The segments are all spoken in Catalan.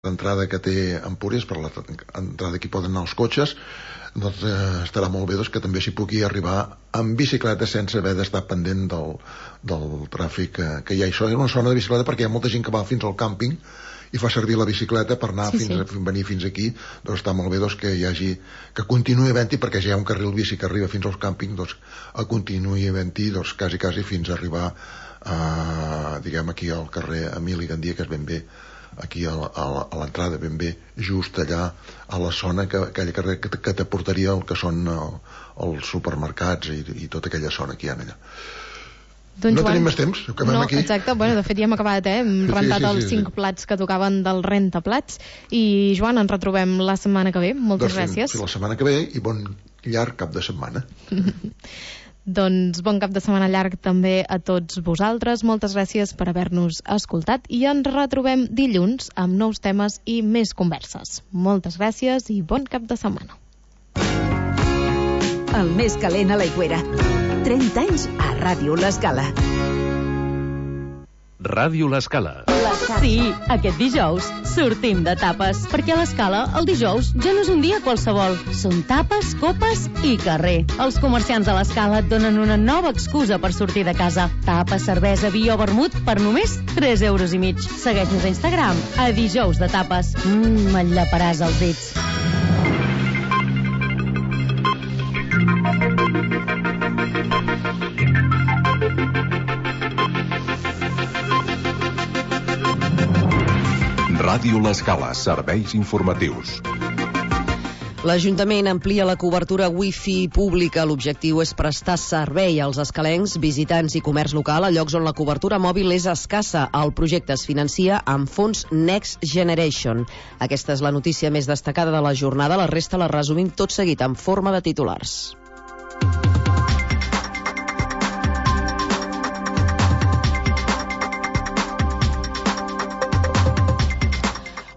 l'entrada que té Empúries, per l'entrada que hi poden anar els cotxes, doncs estarà molt bé que també s'hi pugui arribar amb bicicleta sense haver d'estar pendent del tràfic que hi ha. Això és una zona de bicicleta perquè hi ha molta gent que va fins al càmping i fa servir la bicicleta per anar venir fins aquí. Doncs està molt bé que hi hagi, que continuï havent-hi, perquè ja hi ha un carril bici que arriba fins als càmpings, doncs continuï havent-hi quasi fins a arribar diguem aquí al carrer Emili Gandia, que és ben bé aquí a l'entrada, ben bé just allà a la zona, aquella carrer que t'aportaria el que són els supermercats i tota aquella zona que hi ha allà. Doncs no tenim més temps, acabem aquí. Exacte, bueno, de fet ja hem acabat, hem rentat els 5 plats que tocaven del rentaplats. I Joan, ens retrobem la setmana que ve. Moltes gràcies. La setmana que ve i bon llarg cap de setmana. Doncs bon cap de setmana llarg també a tots vosaltres. Moltes gràcies per haver-nos escoltat i ens retrobem dilluns amb nous temes i més converses. Moltes gràcies i bon cap de setmana. El més calent a l'Aigüera. 30 anys a Ràdio L'Escala. Ràdio L'Escala. Sí, aquest dijous sortim de tapes, perquè a l'Escala el dijous ja no és un dia qualsevol. Són tapes, copes i carrer. Els comerciants de l'Escala et donen una nova excusa per sortir de casa. Tapes, cervesa, vi o vermut per només 3,5 €. Segueix-nos a Instagram, a dijous de tapes. Enllaparàs els dits. Ràdio L'Escala, serveis informatius. L'Ajuntament amplia la cobertura wifi pública. L'objectiu és prestar servei als escalencs, visitants i comerç local a llocs on la cobertura mòbil és escassa. El projecte es financia amb fons Next Generation. Aquesta és la notícia més destacada de la jornada. La resta la resumim tot seguit en forma de titulars.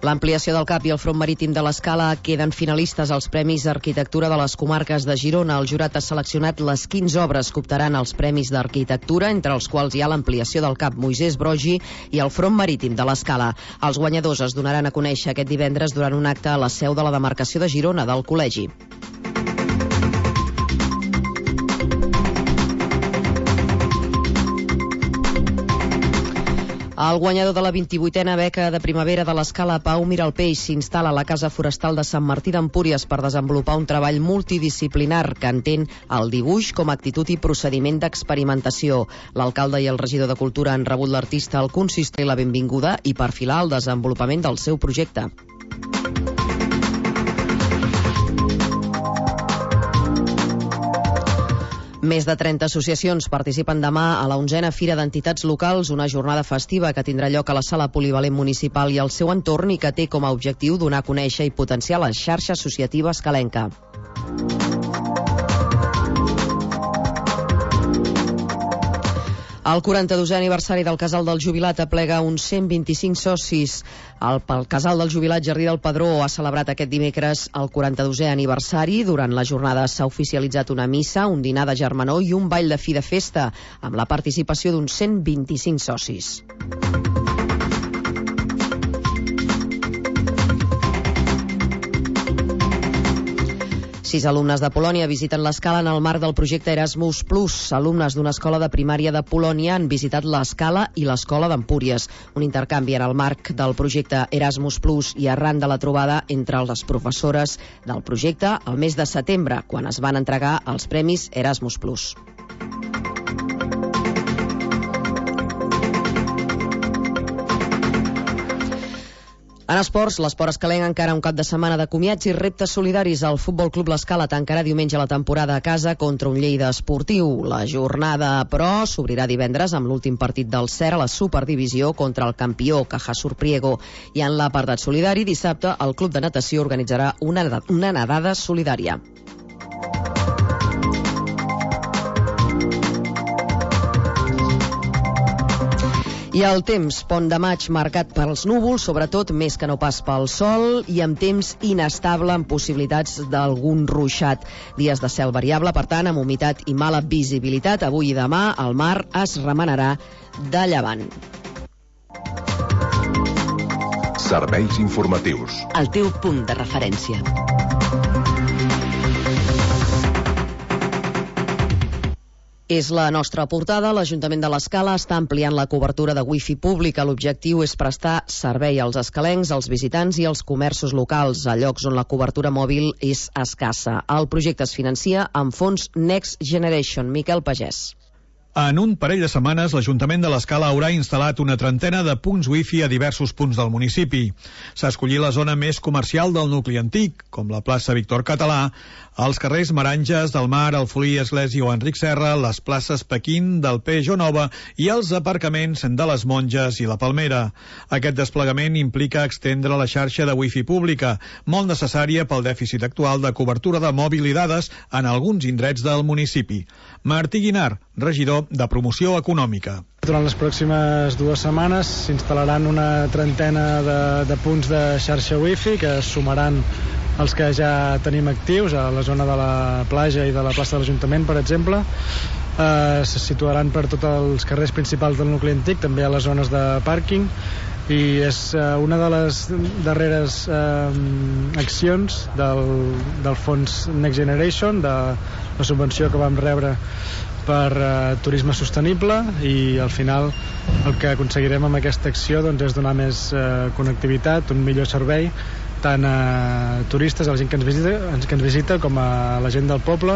L'ampliació del CAP i el front marítim de l'Escala queden finalistes als Premis d'Arquitectura de les comarques de Girona. El jurat ha seleccionat les 15 obres que optaran als Premis d'Arquitectura, entre els quals hi ha l'ampliació del CAP Moisès Broggi i el front marítim de l'Escala. Els guanyadors es donaran a conèixer aquest divendres durant un acte a la seu de la demarcació de Girona del Col·legi. El guanyador de la 28a beca de primavera de l'Escala, Pau Miralpeix, s'instal·la a la Casa Forestal de Sant Martí d'Empúries per desenvolupar un treball multidisciplinar que entén el dibuix com a actitud i procediment d'experimentació. L'alcalde i el regidor de Cultura han rebut l'artista al consistori la benvinguda i perfilar el desenvolupament del seu projecte. Més de 30 associacions participen demà a la 11a Fira d'Entitats Locals, una jornada festiva que tindrà lloc a la Sala Polivalent Municipal i al seu entorn i que té com a objectiu donar a conèixer i potenciar la xarxa associativa escalenca. El 42è aniversari del Casal del Jubilat aplega uns 125 socis. El Casal del Jubilat Jardí del Pedró ha celebrat aquest dimecres el 42è aniversari. Durant la jornada s'ha oficialitzat una missa, un dinar de germanor i un ball de fi de festa, amb la participació d'uns 125 socis. 6 alumnes de Polònia visiten l'Escala en el marc del projecte Erasmus+. Alumnes d'una escola de primària de Polònia han visitat l'Escala i l'escola d'Empúries. Un intercanvi en el marc del projecte Erasmus+, i arran de la trobada entre les professores del projecte el mes de setembre, quan es van entregar els premis Erasmus+. En esports, l'esport escalenc encara un cap de setmana de comiats i reptes solidaris. El Futbol Club L'Escala tancarà diumenge la temporada a casa contra un Lleida esportiu. La jornada, però, s'obrirà divendres amb l'últim partit del SER a la Superdivisió contra el campió Caja Surpriego. I en l'apartat solidari, dissabte, el Club de Natació organitzarà una nedada solidària. I el temps, pont de maig marcat pels núvols, sobretot més que no pas pel sol, i amb temps inestable amb possibilitats d'algun ruixat. Dies de cel variable, per tant, amb humitat i mala visibilitat. Avui i demà el mar es remenarà de llevant. Serveis informatius. El teu punt de referència. És la nostra portada. L'Ajuntament de l'Escala està ampliant la cobertura de wifi pública. L'objectiu és prestar servei als escalencs, als visitants i als comerços locals, a llocs on la cobertura mòbil és escassa. El projecte es financia amb fons Next Generation. Miquel Pagès. En un parell de setmanes, l'Ajuntament de l'Escala haurà instal·lat una trentena de punts wifi a diversos punts del municipi. S'ha escollit la zona més comercial del nucli antic, com la plaça Víctor Català, els carrers Maranges, del Mar, el Folí, Església o Enric Serra, les places Pequín, del Pejo Nova i els aparcaments de les Monges i la Palmera. Aquest desplegament implica extendre la xarxa de wifi pública, molt necessària pel dèficit actual de cobertura de mòbil i dades en alguns indrets del municipi. Martí Guinar, regidor de Promoció Econòmica. Durant les pròximes 2 setmanes s'instal·laran una trentena de punts de xarxa wifi que es sumaran els que ja tenim actius a la zona de la platja i de la plaça de l'Ajuntament, per exemple. Se situaran per tots els carrers principals del nucli antic, també a les zones de pàrquing, i és una de les darreres accions del fons Next Generation, de la subvenció que vam rebre per turisme sostenible, i al final el que aconseguirem amb aquesta acció doncs, és donar més connectivitat, un millor servei tant a turistes, a la gent que ens visita, com a la gent del poble,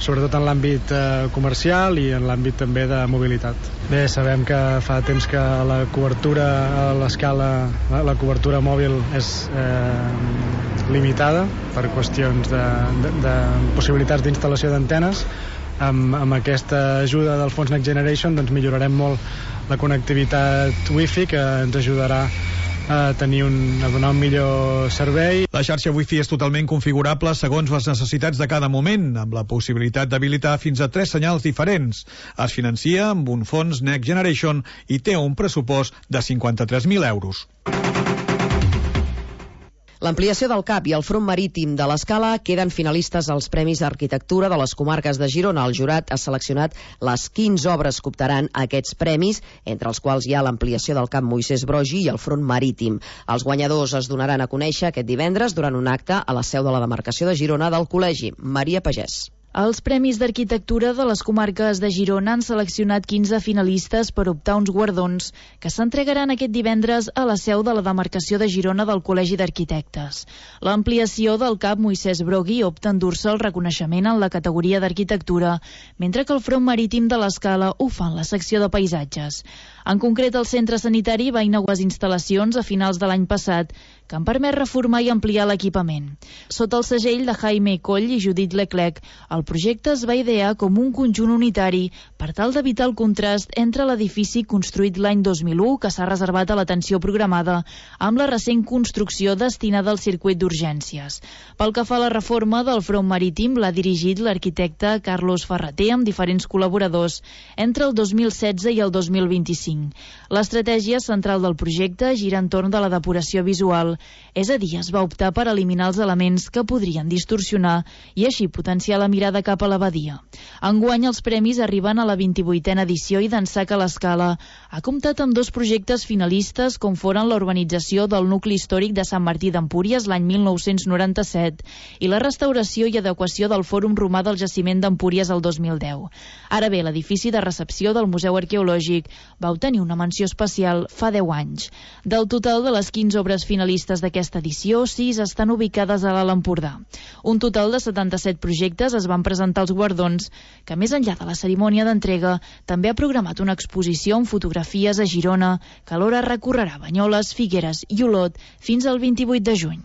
sobretot en l'àmbit comercial i en l'àmbit també de mobilitat. Bé, sabem que fa temps que la cobertura a l'Escala, la cobertura mòbil és limitada per qüestions de possibilitats d'instal·lació d'antenes. Amb aquesta ajuda del fons Next Generation doncs millorarem molt la connectivitat wifi, que ens ajudarà a donar un millor servei. La xarxa wifi és totalment configurable segons les necessitats de cada moment, amb la possibilitat d'habilitar fins a 3 senyals diferents. Es financia amb un fons Next Generation i té un pressupost de 53.000 euros. L'ampliació del CAP i el front marítim de l'Escala queden finalistes als Premis d'Arquitectura de les comarques de Girona. El jurat ha seleccionat les 15 obres que optaran a aquests premis, entre els quals hi ha l'ampliació del CAP Moisès Broggi i el front marítim. Els guanyadors es donaran a conèixer aquest divendres durant un acte a la seu de la demarcació de Girona del Col·legi. Maria Pagès. Els Premis d'Arquitectura de les comarques de Girona han seleccionat 15 finalistes per optar uns guardons que s'entregaran aquest divendres a la seu de la demarcació de Girona del Col·legi d'Arquitectes. L'ampliació del CAP Moisès Broggi opta a endur-se el reconeixement en la categoria d'arquitectura, mentre que el front marítim de l'Escala ho fa en la secció de paisatges. En concret, el centre sanitari va inaugurar instal·lacions a finals de l'any passat que han permès reformar i ampliar l'equipament. Sota el segell de Jaime Coll i Judit Leclerc, el projecte es va idear com un conjunt unitari per tal d'evitar el contrast entre l'edifici construït l'any 2001, que s'ha reservat a l'atenció programada, amb la recent construcció destinada al circuit d'urgències. Pel que fa a la reforma del front marítim, l'ha dirigit l'arquitecte Carlos Ferreter amb diferents col·laboradors entre el 2016 i el 2025. L'estratègia central del projecte gira entorn de la depuració visual, és a dir, es va optar per eliminar els elements que podrien distorsionar i així potenciar la mirada cap a la badia. Enguany els premis arriben a la 28a edició i d'ençà que l'Escala ha comptat amb 2 projectes finalistes, com foren la urbanització del nucli històric de Sant Martí d'Empúries l'any 1997 i la restauració i adequació del Fòrum Romà del Jaciment d'Empúries el 2010. Ara bé, l'edifici de recepció del Museu Arqueològic va obtenir una menció especial fa 10 anys. Del total de les 15 obres finalistes d'aquesta edició, 6 estan ubicades a l'Alt Empordà. Un total de 77 projectes es van presentar als guardons, que més enllà de la cerimònia d'entrega, també ha programat una exposició amb fotografies a Girona, que alhora recorrerà Banyoles, Figueres i Olot fins al 28 de juny.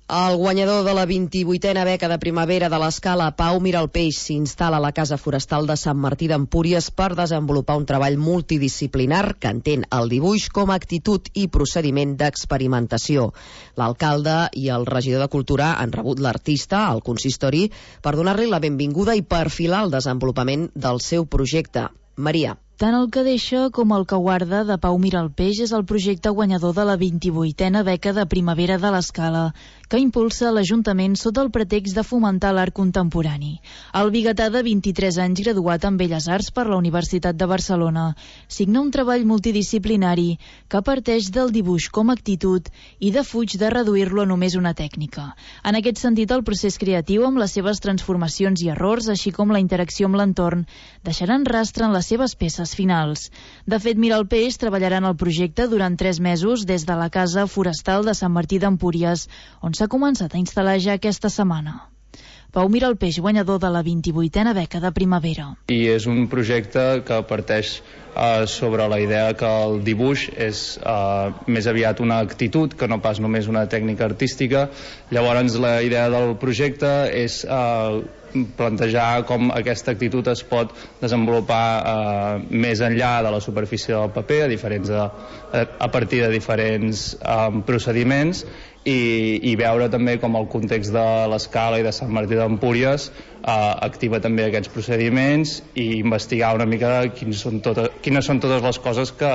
El guanyador de la 28a beca de primavera de l'Escala, Pau Miralpeix, s'instal·la a la Casa Forestal de Sant Martí d'Empúries per desenvolupar un treball multidisciplinar que entén el dibuix com a actitud i procediment d'experimentació. L'alcalde i el regidor de Cultura han rebut l'artista al consistori per donar-li la benvinguda i perfilar el desenvolupament del seu projecte. Maria. Tant el que deixa com el que guarda de Pau Miralpeix és el projecte guanyador de la 28a beca de primavera de l'Escala, que impulsa l'Ajuntament sota el pretext de fomentar l'art contemporani. El biguetà de 23 anys, graduat en Belles Arts per la Universitat de Barcelona, signa un treball multidisciplinari que parteix del dibuix com a actitud i defuig de reduir-lo a només una tècnica. En aquest sentit, el procés creatiu, amb les seves transformacions i errors, així com la interacció amb l'entorn, deixaran rastre en les seves peces finals. De fet, Miralpeix treballarà en el projecte durant 3 mesos des de la Casa Forestal de Sant Martí d'Empúries, on s'ha començat a instal·lar ja aquesta setmana. Pau Miralpeix, guanyador de la 28a beca de primavera. I és un projecte que parteix sobre la idea que el dibuix és més aviat una actitud que no pas només una tècnica artística. Llavors la idea del projecte és plantejar com aquesta actitud es pot desenvolupar més enllà de la superfície del paper a partir de diferents procediments i veure també com el context de l'Escala i de Sant Martí d'Empúries activa també aquests procediments i investigar una mica quines són totes les coses que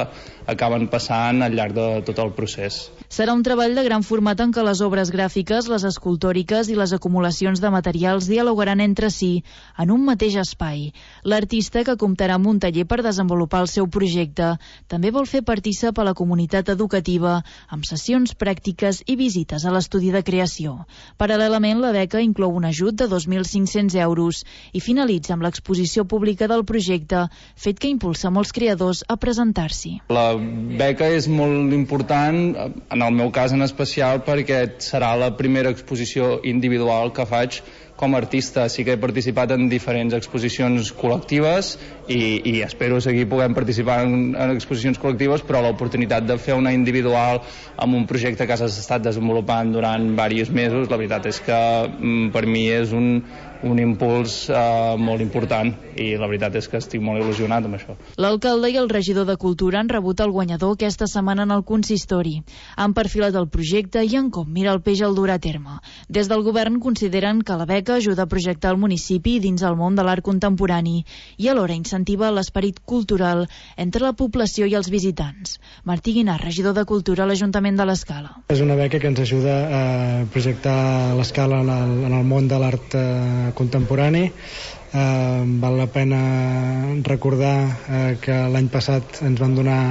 acaben passant al llarg de tot el procés. Serà un treball de gran format en què les obres gràfiques, les escultòriques i les acumulacions de materials dialogaran entre si en un mateix espai. L'artista, que comptarà amb un taller per desenvolupar el seu projecte, també vol fer partícip a la comunitat educativa amb sessions pràctiques i visites a l'estudi de creació. Paral·lelament, la beca inclou un ajut de 2.500 euros i finalitza amb l'exposició pública del projecte, fet que impulsa molts creadors a presentar-s'hi. La beca és molt important, en el meu cas en especial, perquè serà la primera exposició individual que faig com a artista. Sí que he participat en diferents exposicions col·lectives i espero seguir podent participar en exposicions col·lectives, però l'oportunitat de fer una individual amb un projecte que has estat desenvolupant durant diversos mesos, la veritat és que per mi és un impuls molt important i la veritat és que estic molt il·lusionat amb això. L'alcalde i el regidor de Cultura han rebut el guanyador aquesta setmana en el consistori. Han perfilat el projecte i en com Miralpeix el durà a terme. Des del govern consideren que la beca ajuda a projectar el municipi dins el món de l'art contemporani i alhora incentiva l'esperit cultural entre la població i els visitants. Martí Guinar, regidor de Cultura a l'Ajuntament de l'Escala. És una beca que ens ajuda a projectar l'Escala en el món de l'art contemporani. Val la pena recordar que l'any passat ens van donar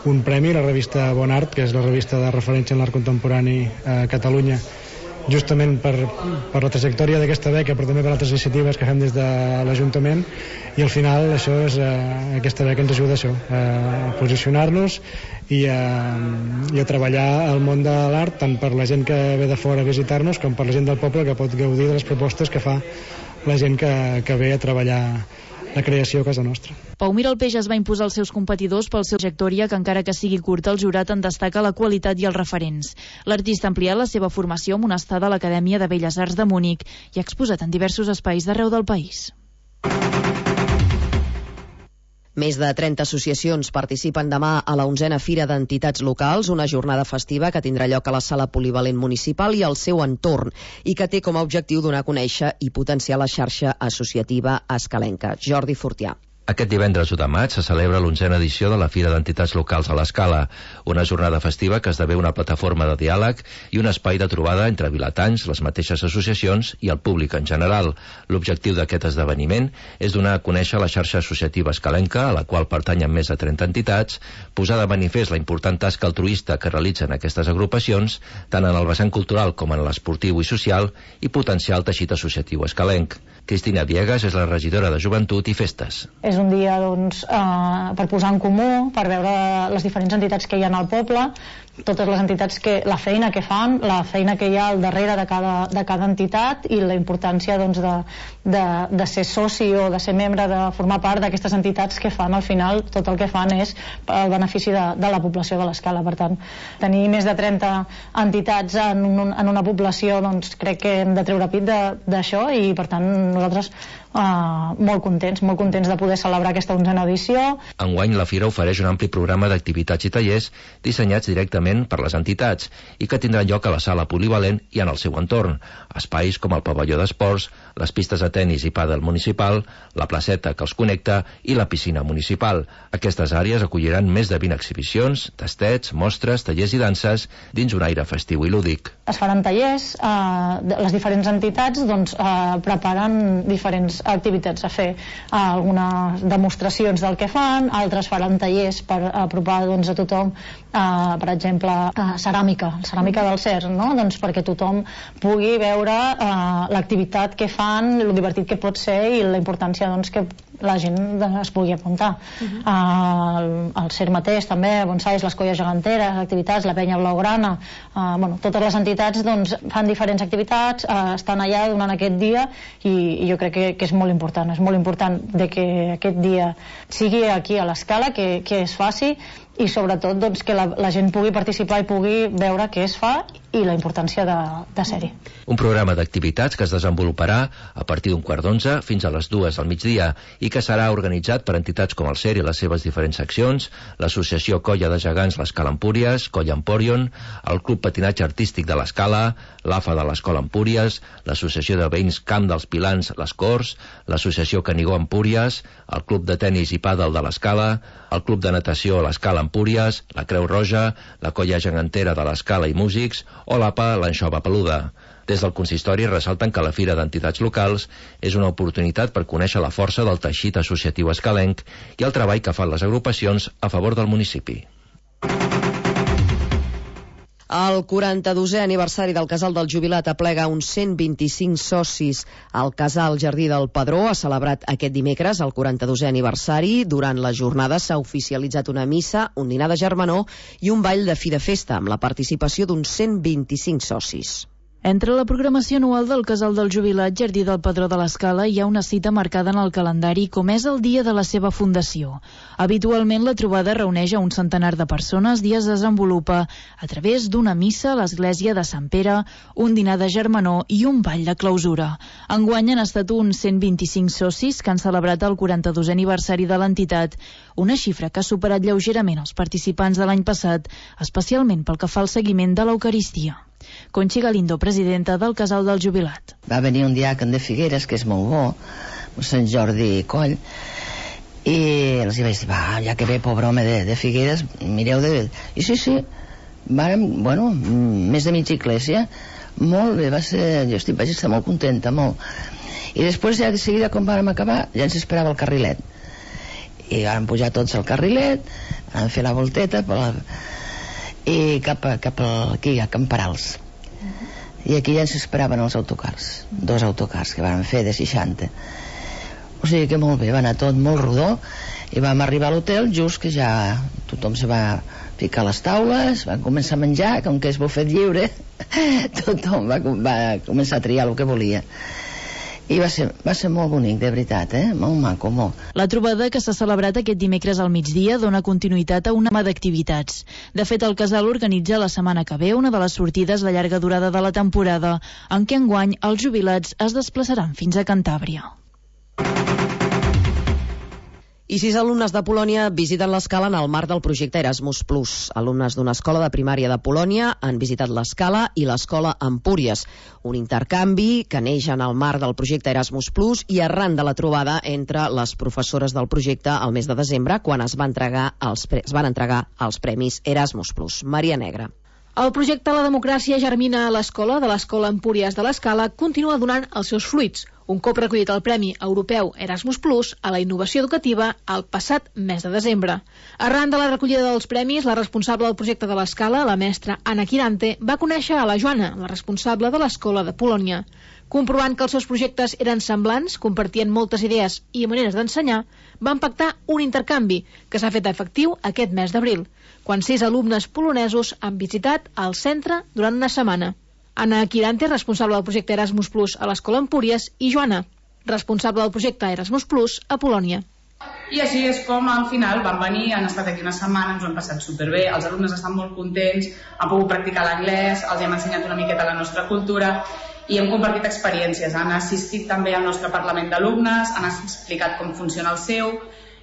un premi a la revista Bon Art, que és la revista de referència en l'art contemporani a Catalunya, justament per la trajectòria d'aquesta beca, però també per altres iniciatives que fem des de l'Ajuntament, i al final això és, aquesta beca ens ajuda a això, a posicionar-nos i a treballar al món de l'art, tant per la gent que ve de fora a visitar-nos com per la gent del poble que pot gaudir de les propostes que fa la gent que ve a treballar la creació a casa nostra. Pau Miralpeix es va imposar als seus competidors pel seu trajectòria, que encara que sigui curta, el jurat en destaca la qualitat i els referents. L'artista ha ampliat la seva formació amb una estada a l'Acadèmia de Belles Arts de Múnich i ha exposat en diversos espais d'arreu del país. Més de 30 associacions participen demà a la 11a Fira d'Entitats Locals, una jornada festiva que tindrà lloc a la Sala Polivalent Municipal i al seu entorn, i que té com a objectiu donar a conèixer i potenciar la xarxa associativa escalenca. Jordi Fortià. Aquest divendres 1 de maig se celebra l'11a edició de la Fira d'Entitats Locals a l'Escala, una jornada festiva que esdevé una plataforma de diàleg i un espai de trobada entre vilatans, les mateixes associacions i el públic en general. L'objectiu d'aquest esdeveniment és donar a conèixer la xarxa associativa escalenca, a la qual pertanyen més de 30 entitats, posar de manifest la important tasca altruista que realitzen aquestes agrupacions, tant en el vessant cultural com en l'esportiu i social, i potenciar el teixit associatiu escalenc. Cristina Viegas és la regidora de Joventut i Festes. És un dia per posar en comú, per veure les diferents entitats que hi ha al poble, totes les entitats, la feina que fan, la feina que hi ha al darrere de cada entitat i la importància de ser soci o de ser membre, de formar part d'aquestes entitats que fan, al final, tot el que fan és el benefici de la població de l'Escala. Per tant, tenir més de 30 entitats en una població, doncs crec que hem de treure pit d'això i, per tant, nosaltres molt contents de poder celebrar aquesta 11a edició. Enguany la Fira ofereix un ampli programa d'activitats i tallers dissenyats directament gratuïtament per les entitats i que tindran lloc a la sala polivalent i en el seu entorn. Espais com el pavelló d'esports, les pistes de tennis i pàdel municipal, la placeta que els connecta i la piscina municipal. Aquestes àrees acolliran més de 20 exhibicions, tastets, mostres, tallers i danses dins un aire festiu i lúdic. Es faran tallers, les diferents entitats preparen diferents activitats a fer, algunes demostracions del que fan, altres faran tallers per apropar a tothom, per exemple ceràmica del CERN, no? Perquè tothom pugui veure l'activitat que fan, el divertit que pot ser i la importància que la gent es pugui apuntar. El CERN mateix també, bonsais, les colles geganteres, activitats, la penya blaugrana, totes les entitats fan diferents activitats, estan allà durant aquest dia i jo crec que és molt important que aquest dia sigui aquí a l'Escala, que es faci i sobretot que la gent pugui participar i pugui veure què es fa i la importància de ser-hi. Un programa d'activitats que es desenvoluparà a partir d'un 11:15 fins a les 2 del migdia i que serà organitzat per entitats com el CER i les seves diferents seccions, l'Associació Colla de Gegants l'Escala Empúries, Colla Emporion, el Club Patinatge Artístic de l'Escala, l'AFA de l'Escola Empúries, l'Associació de Veïns Camp dels Pilans, les Corts, l'Associació Canigó Empúries, el Club de Tenis i Pàdel de l'Escala, el Club de Natació l'Escala Empúries, la Creu Roja, la Colla Gegantera de l'Escala i Músics o l'APA l'Anxova Peluda. Des del consistori ressalten que la Fira d'Entitats Locals és una oportunitat per conèixer la força del teixit associatiu escalenc i el treball que fan les agrupacions a favor del municipi. El 42è aniversari del Casal del Jubilat aplega uns 125 socis. El Casal Jardí del Pedró ha celebrat aquest dimecres el 42è aniversari. Durant la jornada s'ha oficialitzat una missa, un dinar de germanor i un ball de fi de festa amb la participació d'uns 125 socis. Entre la programació anual del Casal del Jubilat Jardí del Pedró de l'Escala hi ha una cita marcada en el calendari com és el dia de la seva fundació. Habitualment la trobada reuneix a un centenar de persones i es desenvolupa a través d'una missa a l'església de Sant Pere, un dinar de germanor i un ball de clausura. Enguany han estat uns 125 socis que han celebrat el 42è aniversari de l'entitat, una xifra que ha superat lleugerament els participants de l'any passat, especialment pel que fa al seguiment de l'Eucaristia. Conchi Galindo, presidenta del Casal del Jubilat. Va venir un diàcon de Figueres, que és molt bo, Sant Jordi Coll, i els vaig dir, ja que ve, pobre home de Figueres, mireu de... I sí, vàrem, més de mitja iglesia, molt bé, vaig estar molt contenta, molt. I després, ja de seguida, quan vàrem acabar, ja ens esperava el carrilet. I vàrem pujar tots al carrilet, vam fer la volteta, i cap aquí, a Camperals. I aquí ja ens esperaven els autocars, 2 autocars que van fer de 60. O sigui que molt bé, va anar tot molt rodó i vam arribar a l'hotel just que ja tothom se va ficar a les taules, van començar a menjar, com que és bufet lliure, tothom va començar a triar el que volia. I va ser molt bonic, de veritat, molt maco, molt. La trobada que s'ha celebrat aquest dimecres al migdia dona continuïtat a una gamma d'activitats. De fet, el Casal organitza la setmana que ve una de les sortides de llarga durada de la temporada, en què enguany els jubilats es desplaçaran fins a Cantàbria. I 6 alumnes de Polònia visiten l'Escala en el marc del projecte Erasmus+. Alumnes d'una escola de primària de Polònia han visitat l'Escala i l'escola Empúries, un intercanvi que neix en el marc del projecte Erasmus+, i arran de la trobada entre les professores del projecte al mes de desembre, quan es van entregar els premis Erasmus+. Maria Negra. El projecte La Democràcia germina a l'escola de l'Escola Empúries de l'Escala continua donant els seus fruits. Un cop recollit el Premi Europeu Erasmus+ a la innovació educativa el passat mes de desembre. Arran de la recollida dels premis, la responsable del projecte de l'Escala, la mestra Anna Quirante, va conèixer a la Joana, la responsable de l'escola de Polònia. Comprovant que els seus projectes eren semblants, compartien moltes idees i maneres d'ensenyar, van pactar un intercanvi que s'ha fet efectiu aquest mes d'abril, quan 6 alumnes polonesos han visitat el centre durant una setmana. Anna Quirante, responsable del projecte Erasmus+ a l'Escola Empúries, i Joana, responsable del projecte Erasmus+ a Polònia. I així és com al final van venir, han estat aquí una setmana, ens ho han passat superbé, els alumnes estan molt contents, han pogut practicar l'anglès, els hem ensenyat una miqueta la nostra cultura i hem compartit experiències. Han assistit també al nostre Parlament d'Alumnes, han explicat com funciona el seu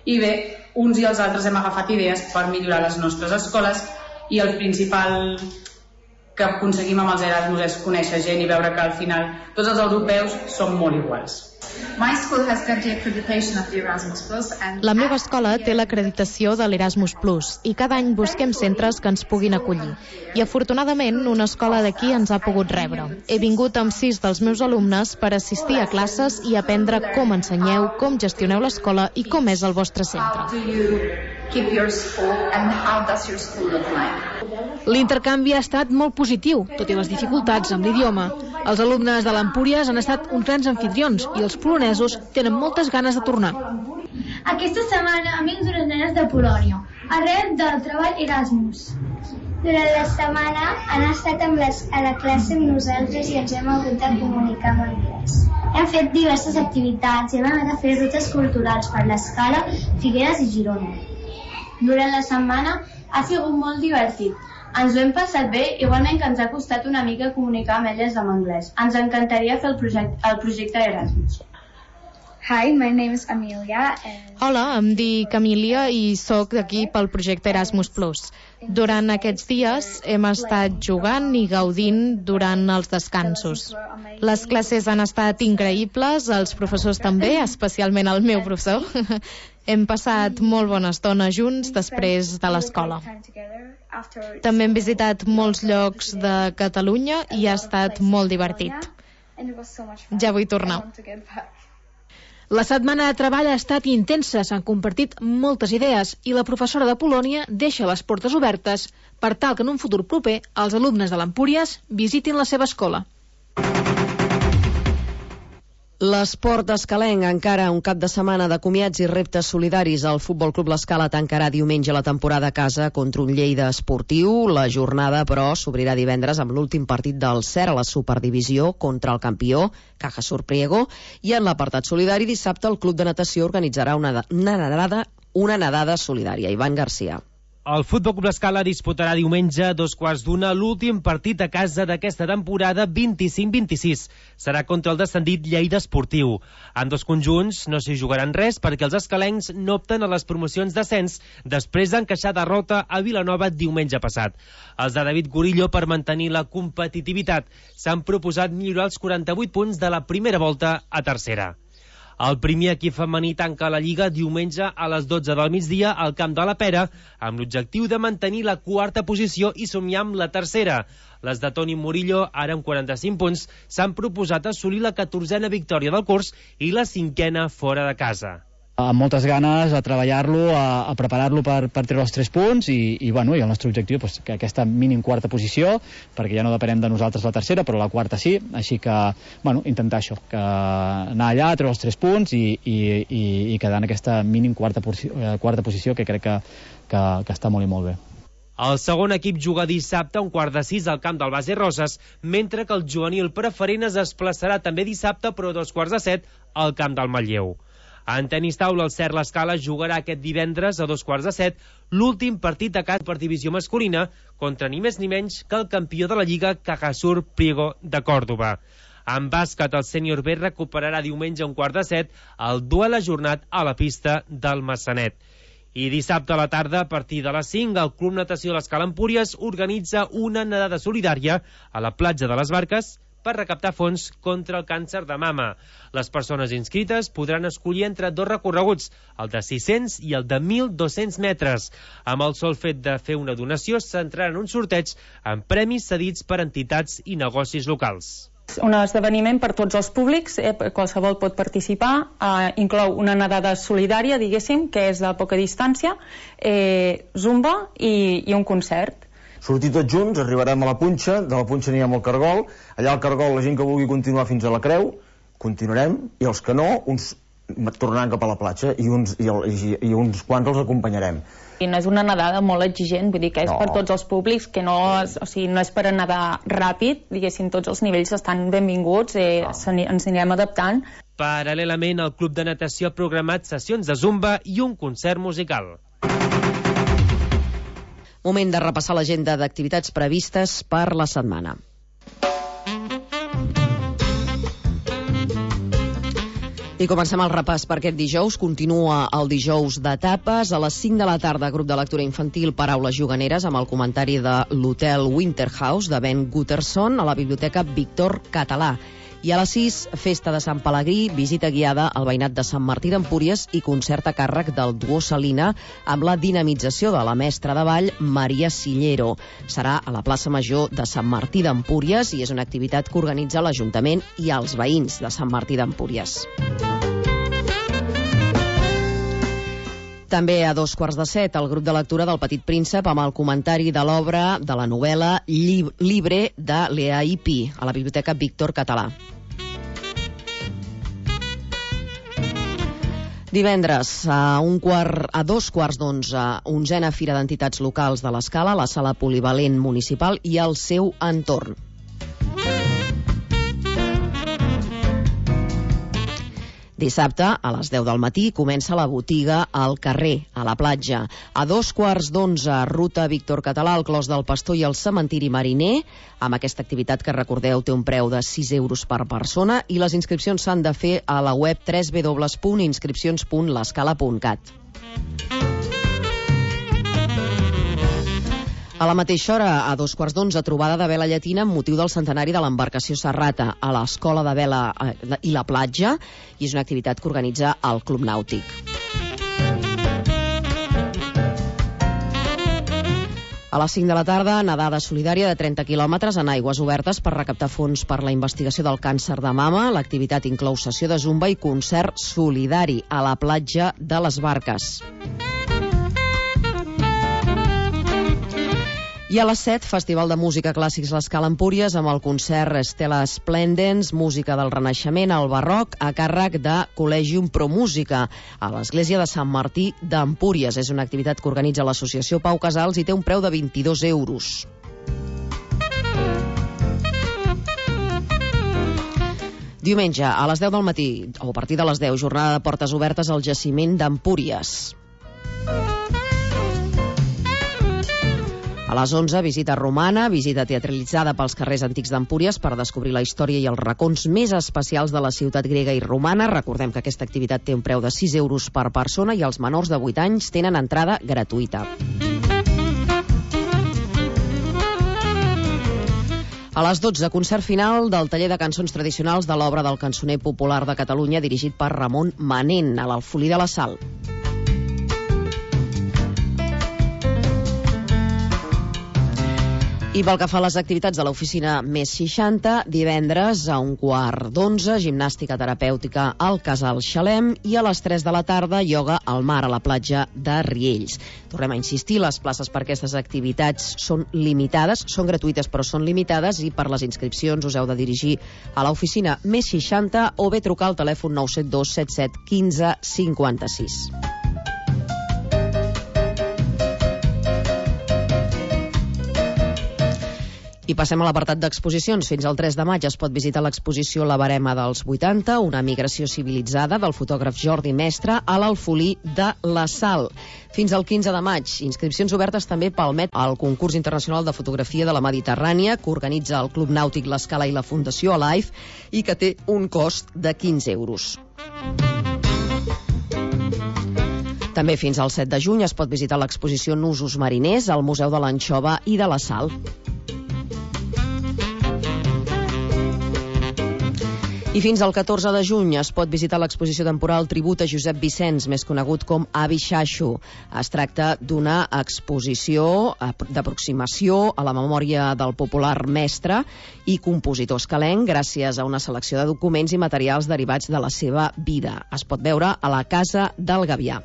i bé, uns i els altres hem agafat idees per millorar les nostres escoles i el principal que aconseguim amb els Erasmus és conèixer gent i veure que al final tots els europeus som molt iguals. La meva escola té l'acreditació de l'Erasmus Plus i cada any busquem centres que ens puguin acollir. I afortunadament una escola d'aquí ens ha pogut rebre. He vingut amb 6 dels meus alumnes per assistir a classes i aprendre com ensenyeu, com gestioneu l'escola i com és el vostre centre. L'intercanvi ha estat molt positiu, tot i les dificultats amb l'idioma. Els alumnes de l'Empúries han estat uns grans anfitrions i els polonesos tenen moltes ganes de tornar. Aquesta setmana amics d'unes nenes de Polònia, arrel del treball Erasmus. Durant la setmana han estat a la classe amb nosaltres i ens hem hagut de comunicar en anglès. Hem fet diverses activitats i hem anat a fer rutes culturals per l'Escala, Figueres i Girona. Durant la setmana ha sigut molt divertit. Ens ho hem passat bé, igualment que ens ha costat una mica comunicar amb elles en anglès. Ens encantaria fer el projecte Erasmus. Hi, my name is Amelia. Hola, em dic Amelia i sóc d'aquí pel projecte Erasmus+. Durant aquests dies hem estat jugant i gaudint durant els descansos. Les classes han estat increïbles, els professors també, especialment el meu professor. Hem passat molt bona estona junts després de l'escola. També hem visitat molts llocs de Catalunya i ha estat molt divertit. Ja vull tornar. La setmana de treball ha estat intensa, s'han compartit moltes idees i la professora de Polònia deixa les portes obertes per tal que en un futur proper els alumnes de l'Empúries visitin la seva escola. L'esport escalenc encara un cap de setmana de comiats i reptes solidaris. El Futbol Club L'Escala tancarà diumenge la temporada a casa contra un Lleida esportiu. La jornada, però, s'obrirà divendres amb l'últim partit del CER a la Superdivisió contra el campió, Caja Sur Priego, i en l'apartat solidari dissabte el Club de Natació organitzarà una nedada solidària. Ivan Garcia. El Futbol Club L'Escala disputarà diumenge a 2:15 l'últim partit a casa d'aquesta temporada 25-26. Serà contra el descendit Lleida Esportiu. En dos conjunts no s'hi jugaran res perquè els escalencs no opten a les promocions d'ascens després d'encaixar derrota a Vilanova diumenge passat. Els de David Gorillo, per mantenir la competitivitat, s'han proposat millorar els 48 punts de la primera volta a tercera. El primer equip femení tanca la Lliga diumenge a les 12 del migdia al Camp de la Pera, amb l'objectiu de mantenir la quarta posició i somiar amb la tercera. Les de Toni Murillo, ara amb 45 punts, s'han proposat assolir la 14a victòria del curs i la 5a fora de casa. Amb moltes ganes a treballar-lo, a preparar-lo per treure els 3 punts i el nostre objectiu és que aquesta mínim quarta posició, perquè ja no depenem de nosaltres la tercera, però la quarta sí, així que intentar això, que anar allà, treure els 3 punts i quedar en aquesta mínim quarta posició que crec que està molt i molt bé. El segon equip juga dissabte a 5:15 al camp del Base Roses, mentre que el juvenil preferent es desplaçarà també dissabte, però a 6:15 al camp del Manlleu. En tenis taula, el CER L'Escala jugarà aquest divendres a 2:15 l'últim partit a casa per divisió masculina contra ni més ni menys que el campió de la Lliga, Caja Sur Priego de Còrdova. En bàsquet, el sènior B recuperarà diumenge a 1:15 el duel ajornat a la pista del Massanet. I dissabte a la tarda, a partir de les 5, el Club Natació L'Escala Empúries organitza una nedada solidària a la platja de les Barques per recaptar fons contra el càncer de mama. Les persones inscrites podran escollir entre 2 recorreguts, el de 600 i el de 1.200 metres. Amb el sol fet de fer una donació, s'entrarà en un sorteig amb premis cedits per entitats i negocis locals. Un esdeveniment per tots els públics, qualsevol pot participar, inclou una nedada solidària, diguéssim, que és de poca distància, zumba i un concert. Sortir tots junts, arribarem a la Punxa, de la Punxa anirem al Cargol, allà al Cargol la gent que vulgui continuar fins a la Creu, continuarem, i els que no, uns tornaran cap a la platja i uns quants els acompanyarem. I no és una nedada molt exigent, vull dir que és per tots els públics, que no és per nedar ràpid, diguéssim, tots els nivells estan benvinguts, ens anirem adaptant. Paral·lelament, el Club de Natació ha programat sessions de zumba i un concert musical. Moment de repassar l'agenda d'activitats previstes per la setmana. I comencem el repàs per aquest dijous. Continua el dijous d'etapes. A les 5 de la tarda, grup de lectura infantil Paraules juganeres amb el comentari de l'Hotel Winterhouse de Ben Gutterson a la Biblioteca Víctor Català. I a les 6, festa de Sant Pelegrí, visita guiada al veïnat de Sant Martí d'Empúries i concert a càrrec del duo Salina amb la dinamització de la mestra de ball Maria Sillero. Serà a la plaça Major de Sant Martí d'Empúries i és una activitat que organitza l'Ajuntament i els veïns de Sant Martí d'Empúries. També a 6:45, el grup de lectura del Petit Príncep amb el comentari de l'obra de la novel·la Libre de Lea Ipí a la Biblioteca Víctor Català. Divendres, a 11:15, 11a Fira d'Entitats Locals de l'Escala, la Sala Polivalent Municipal i el seu entorn. Dissabte, a les 10 del matí, comença la botiga al carrer, a la platja. A 11:15, ruta Víctor Català, el Clos del Pastor i el cementiri mariner. Amb aquesta activitat que, recordeu, té un preu de 6 euros per persona i les inscripcions s'han de fer a la web www.inscripcions.lescala.cat. A la mateixa hora, a 11:15, trobada de vela llatina amb motiu del centenari de l'embarcació Serrata a l'Escola de Vela i la Platja, i és una activitat que organitza el Club Nàutic. A les 5 de la tarda, nedada solidària de 30 quilòmetres en aigües obertes per recaptar fons per la investigació del càncer de mama. L'activitat inclou sessió de zumba i concert solidari a la platja de les Barques. I a les 7, Festival de Música Clàssics l'Escala Empúries amb el concert Stella Splendens, música del Renaixement al Barroc, a càrrec de Col·legium Pro Música, a l'església de Sant Martí d'Empúries. És una activitat que organitza l'associació Pau Casals i té un preu de 22 euros. Diumenge, a les 10 del matí, o a partir de les 10, jornada de portes obertes al jaciment d'Empúries. A les 11, visita romana, visita teatralitzada pels carrers antics d'Empúries per descobrir la història i els racons més especials de la ciutat grega i romana. Recordem que aquesta activitat té un preu de 6 euros per persona i els menors de 8 anys tenen entrada gratuïta. A les 12, concert final del taller de cançons tradicionals de l'obra del cançoner popular de Catalunya dirigit per Ramon Manent a l'Alfolí de la Sal. I pel que fa a les activitats de l'oficina Més 60, divendres a 11:15, gimnàstica terapèutica al Casal Xalem i a les 3 de la tarda, ioga al mar a la platja de Riells. Tornem a insistir, les places per aquestes activitats són limitades, són gratuïtes però són limitades i per les inscripcions us heu de dirigir a l'oficina Més 60 o bé trucar al telèfon 972 77 15 56. I passem a l'apartat d'exposicions. Fins al 3 de maig es pot visitar l'exposició La Barema dels 80, una migració civilitzada del fotògraf Jordi Mestre a l'Alfolí de la Sal. Fins al 15 de maig, inscripcions obertes també pel MET al concurs internacional de fotografia de la Mediterrània que organitza el Club Nàutic l'Escala i la Fundació Alive i que té un cost de 15 euros. També fins al 7 de juny es pot visitar l'exposició Nusos mariners al Museu de l'Anxova i de la Sal. I fins al 14 de juny es pot visitar l'exposició temporal Tribut a Josep Vicenç, més conegut com Avi Xaxo. Es tracta d'una exposició d'aproximació a la memòria del popular mestre i compositor escalenc gràcies a una selecció de documents i materials derivats de la seva vida. Es pot veure a la Casa del Gavià.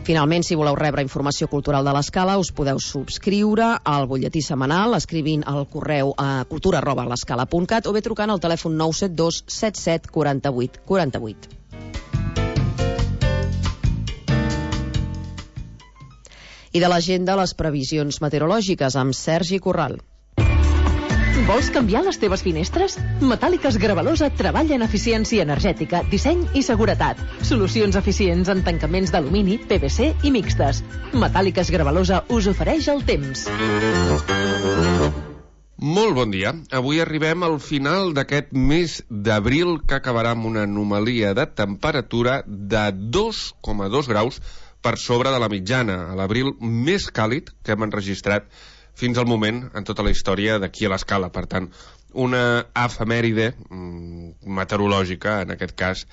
Finalment, si voleu rebre informació cultural de l'Escala, us podeu subscriure al butlletí setmanal escrivint al correu a cultura@lescala.cat o bé trucant al telèfon 972 77 48 48. I de l'agenda, les previsions meteorològiques amb Sergi Corral. Vols canviar les teves finestres? Metàl·liques Gravalosa treballa en eficiència energètica, disseny i seguretat. Solucions eficients en tancaments d'alumini, PVC i mixtes. Metàl·liques Gravalosa us ofereix el temps. Molt bon dia. Avui arribem al final d'aquest mes d'abril que acabarà amb una anomalia de temperatura de 2,2 graus per sobre de la mitjana, a l'abril més càlid que hem enregistrat fins al moment en tota la història d'aquí a l'Escala. Per tant, una efemèride meteorològica, en aquest cas,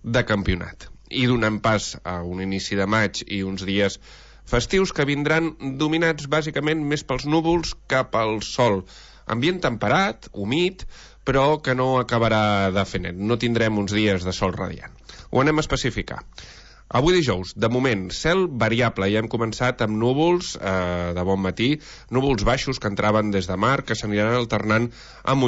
de campionat. I donant pas a un inici de maig i uns dies festius que vindran dominats bàsicament més pels núvols que pel sol. Ambient temperat, humit, però que no acabarà de fer net. No tindrem uns dies de sol radiant. Ho anem a especificar. Avui dijous, de moment, cel variable. Ja hem començat amb núvols de bon matí, núvols baixos que entraven des de mar, que s'aniran alternant amb